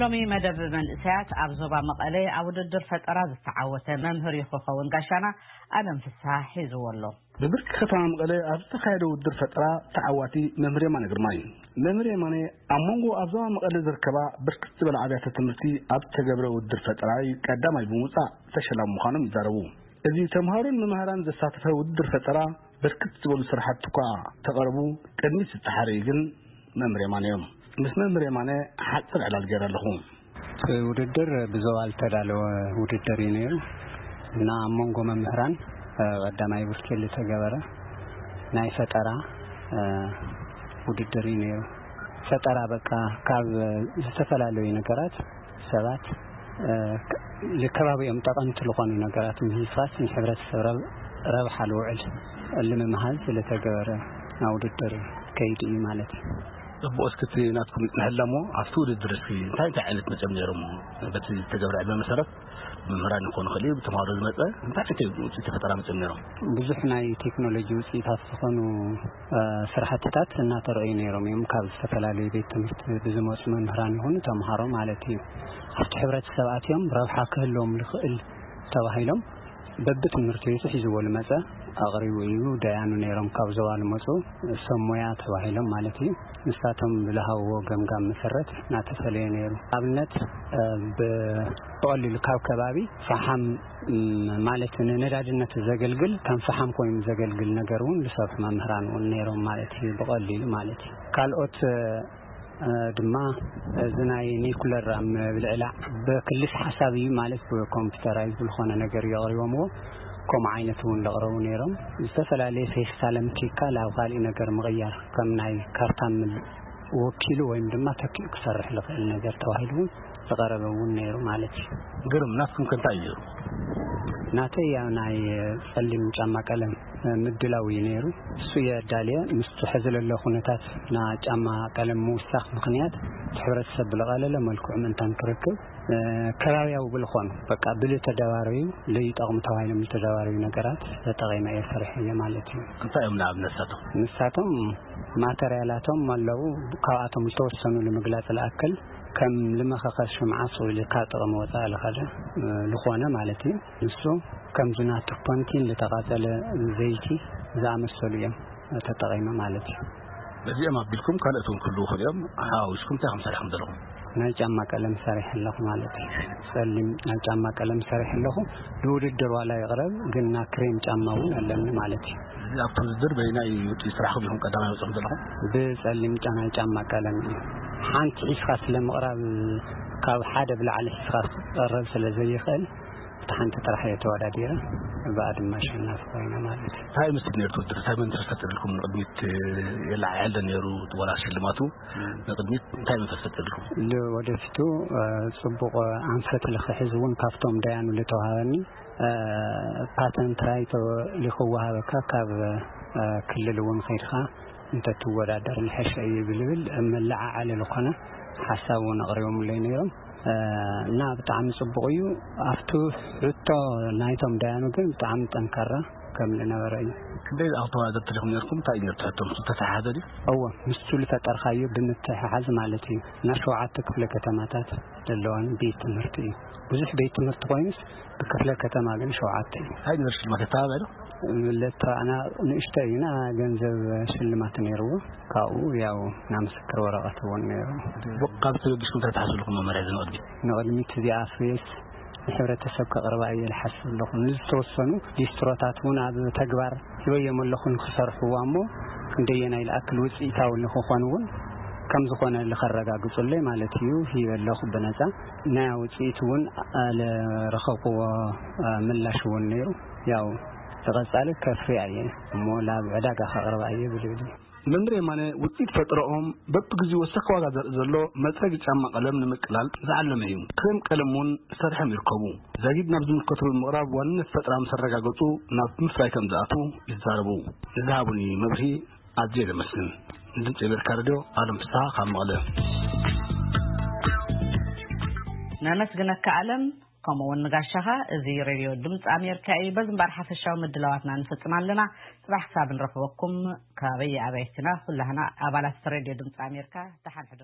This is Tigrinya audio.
ሎሚ መደብ መንእሰያት ኣብ ዞባ መቐለ ኣብ ውድድር ፈጠራ ዝተዓወተ መምህር እዩ ክኸውን ጋሻና ኣለም ፍስሃ ሒዝዎ ኣሎ። ብብርኪ ከተማ መቐለ ኣብ ዝተኻየደ ውድድር ፈጠራ ተዓዋቲ መምህር የማነ ግርማ እዩ። መምህር የማነ ኣብ መንጎ ኣብ ዞባ መቐለ ዝርከባ ብርክት ዝበላ ኣብያተ ትምህርቲ ኣብ ዝተገብረ ውድድር ፈጠራ እዩ ቀዳማይ ብምውፃእ ተሸላሚ ምዃኖም ይዛረቡ። እዚ ተምሃሮን መምህራን ዘሳተፈ ውድድር ፈጠራ ብርክት ዝበሉ ስራሕቲ እኳ ተቐርቡ ቅድሚት ዝተሓረዩ ግን መምህር የማነ እዮም። ምስ መምህር የማነ ሓፂር ዕላል ገይረ ኣለኹ። እቲ ውድድር ብዞባ ዝተዳለወ ውድድር እዩ ነይሩ እና ኣብ መንጎ መምህራን ቀዳማይ ብርኪ ዝተገበረ ናይ ፈጠራ ውድድር እዩ ነይሩ። ፈጠራ በቃ ካብ ዝተፈላለዩ ነገራት ሰባት ልከባቢኦም ጠቐምቲ ዝኾኑ ነገራት ምህስፋስ ንሕብረተሰብ ረብ- ረብሓ ልውዕል ልምምሃዝ ዝተገበረ ናይ ውድድር ከይዲ እዩ ማለት እዩ። እቦ እስክቲ ናትኩም ይጽንሐላ እሞ ኣብቲ ውድድር እስኪ እንታይ እንታይ ዓይነት መጸም ነይሮም? በቲ ዝተገብረ ዕድመ መሰረት መምህራን ይኾኑ ክእል እዩ፣ ብተምሃሮ ዝመጸ እንታይ ዓይነት ውፅኢት ፈጠራ መጸም ነይሮም? ብዙሕ ናይ ቴክኖሎጂ ውፅኢታት ዝኾኑ ስራሕትታት እናተረኣዩ ነይሮም እዮም። ካብ ዝተፈላለዩ ቤት ትምህርቲ ብዝመፁ መምህራን ይኹኑ ተምሃሮ ማለት እዩ። ኣብቲ ሕብረተሰብ ኣትዮም ረብሓ ክህልዎም ዝኽእል ተባሂሎም በብትምህርቲ ቤቱ ሒዝዎ ዝመፀ ኣቕሪቡ እዩ። ደያኑ ነይሮም ካብ ዞባ ዝመፁ ሰብ ሞያ ተባሂሎም ማለት እዩ። ንሳቶም ብዝሃብዎ ገምጋም መሰረት እናተፈለየ ነይሩ። ኣብነት ብቐሊሉ ካብ ከባቢ ፈሓም ማለት ንነዳድነት ዘገልግል ከም ፈሓም ኮይኑ ዘገልግል ነገር እውን ዝሰርሑ መምህራን እውን ነይሮም ማለት እዩ። ብቐሊሉ ማለት እዩ። ካልኦት ድማ እዚ ናይ ኒኩለር ኣብ ምብልዕላዕ ብክልስ ሓሳብ እዩ ማለት ብኮምፒውተራይዝ ዝኾነ ነገር የቕሪቦምዎ። ከምኡ ዓይነት እውን ዘቕረቡ ነይሮም። ዝተፈላለየ ፌስታል ኣምኪካ ናብ ካሊእ ነገር ምቕያር ከም ናይ ካርታ ምል- ወኪሉ ወይም ድማ ተኪኡ ክሰርሕ ዝኽእል ነገር ተባሂሉ እውን ዝቐረበ እውን ነይሩ ማለት እዩ። ግርም ናትኩም ከ እንታይ እዩ ነይሩ? ናተይ ያው ናይ ጸሊም ጫማ ቀለም ምድላው እዩ ነይሩ። እሱ የዳልየ ምስቲ ሕዚ ለሎ ኩነታት ና ጫማ ቀለም ምውሳኽ ምኽንያት እቲ ሕብረተሰብ ብለቐለለ መልክዑ ምእንታን ክረክብ ከባቢያዊ ብልኾኑ በቃ ብልተደባረዩ ለይጠቕሙ ተባሂሎም ዝተደባረዩ ነገራት ተጠቒመ እየ ሰሪሐዮ ማለት እዩ። እንታይ እዮም ንኣብነት ንሳቶም? ንሳቶም ማተርያላቶም ኣለዉ። ካብኣቶም ዝተወሰኑ ንምግላፅ ዝኣክል ከም ልመኸኸስ ሽምዓ ስቕ ኢሉ ካብ ጥቕሚ ወፃኢ ዝኸደ ዝኾነ ማለት እዩ። ንሱ ከምዚ ናቱ ፖንቲን ዝተቓፀለ ዘይቲ ዝኣመሰሉ እዮም ተጠቒመ ማለት እዩ። በዚኦም ኣቢልኩም ካልኦት እውን ክህልዉ ይኽእሉ እዮም። ሓዋዊስኩም እንታይ ከም ሰሪሕኩም ዘለኹም? ናይ ጫማ ቀለም ሰሪሐ ኣለኹ ማለት እዩ። ጸሊም ናይ ጫማ ቀለም ሰሪሐ ኣለኹ። ንውድድር ዋላ ይቕረብ ግን ና ክሬም ጫማ እውን ኣለኒ ማለት እዩ። እዚ ኣብቲ ውድድር በይናይ ውፅኢት ስራሕኩም ኢኹም ቀዳማይ ወፂኹም ዘለኹም? ብጸሊም ጫ- ናይ ጫማ ቀለም እዩ። ሓንቲ ሒዝካ ስለ ምቕራብ ካብ ሓደ ብላዕሊ ሒዝካ ክቐረብ ስለ ዘይኽእል እቲ ሓንቲ ጥራሕ እየ ተወዳዲረ ብኣ ድማ ኣሸናፊ ኮይነ ማለት እዩ። እንታይ ምስ ነርቱ ውድድር እንታይ መን ተፈጢርልኩም ንቅድሚት የለዓዕል ነይሩ? ወላ ሽልማቱ ንቅድሚት እንታይ መን ተፈጢርልኩም? ንወደፊቱ ጽቡቕ ኣንፈት ልክሕዝ እውን ካብቶም ደያኑ ልተዋሃበኒ ፓተንት ራይቶ ልክወሃበካ ካብ ክልል እውን ከይድካ እንተትወዳደር ልሐሸ እዩ ብልብል መለዓዓሊ ዝኾነ ሓሳብ እውን ኣቕሪቦምለይ ነይሮም። እና ብጣዕሚ ጽቡቕ እዩ። ኣብቲ ሕቶ ናይቶም ደያኑ ግን ብጣዕሚ ጠንካራ ከም ዝነበረ እዩ። ክንደይ ዝኣኽል ተወዳደርቲ ዲኹም ነርኩም? እንታይ እዩ ነርቱ ሕቶም ዝተተሓሓዘ ድዩ? እወ ምስቱ ዝፈጠርካዮ ብምትሕሓዝ ማለት እዩ። እና ሸውዓተ ክፍለ ከተማታት ዘለዋን ቤት ትምህርቲ እዩ። ብዙሕ ቤት ትምህርቲ ኮይኑስ ብክፍለ ከተማ ግን ሸውዓተ እዩ። እንታይ ነበር ሽልማት የተባባሉ? ለተባዕና ንእሽቶ እዩና ገንዘብ ሽልማት ነይርዎ። ካብኡ ያው ናይ ምስክር ወረቐት እውን ነይሩ። ካብ ተበጊስኩም እንታይ ትሓስቡ ኣለኹም መመርያ እዚ ንቕድሚት? ንቕድሚት እዚኣ ፍሬስ ንሕብረተሰብ ከቕርባ እየ ዝሓስብ ኣለኹ። ንዝተወሰኑ ሊስትሮታት እውን ኣብ ተግባር ሂበዮም ኣለኹ ንክሰርሕዋ እሞ ክንደየናይ ዝኣክል ውፅኢታዊ ንክኾን እውን ከም ዝኾነ ልኸረጋግፁለይ ማለት እዩ ሂበ ኣለኹ ብነፃ። ናይ ውፅኢት እውን ለረኸብክዎ ምላሽ እውን ነይሩ። ያው ዝቐፃሊ ከፍርያ እየ እሞ ላብ ዕዳጋ ከቕርባ እየ ብልብል እዩ። መምህር የማነ ውፅኢት ፈጠረኦም በብግዜኡ ወሰኽ ዋጋ ዘርኢ ዘሎ መፅረጊ ጫማ ቀለም ንምቅላል ዝዓለመ እዩ። ክሬም ቀለም እውን ሰርሖም ይርከቡ። ዛጊድ ናብ ዝምልከቱ ብምቕራብ ዋንነት ፈጠራ ምስ ኣረጋገፁ ናብ ምፍራይ ከም ዝኣትዉ ይዛረቡ። ንዝሃቡኒ መብርሂ ኣዝየ ዘመስግን። ንድምፂ ኣሜሪካ ሬድዮ ኣለም ፍስሃ ካብ መቐለ። ነመስግነካ ኣለም። ከምኡ እውን ንጋሻኻ። እዚ ሬድዮ ድምፂ ኣሜሪካ እዩ። በዚ እምበኣር ሓፈሻዊ ምድላዋትና ንፍፅም ኣለና። ፅባሕ ክሳብ ንረኽበኩም ካበይ ኣበይክና ኩላህና ኣባላት ሬድዮ ድምፂ ኣሜሪካ ደሓን ሕደሩ።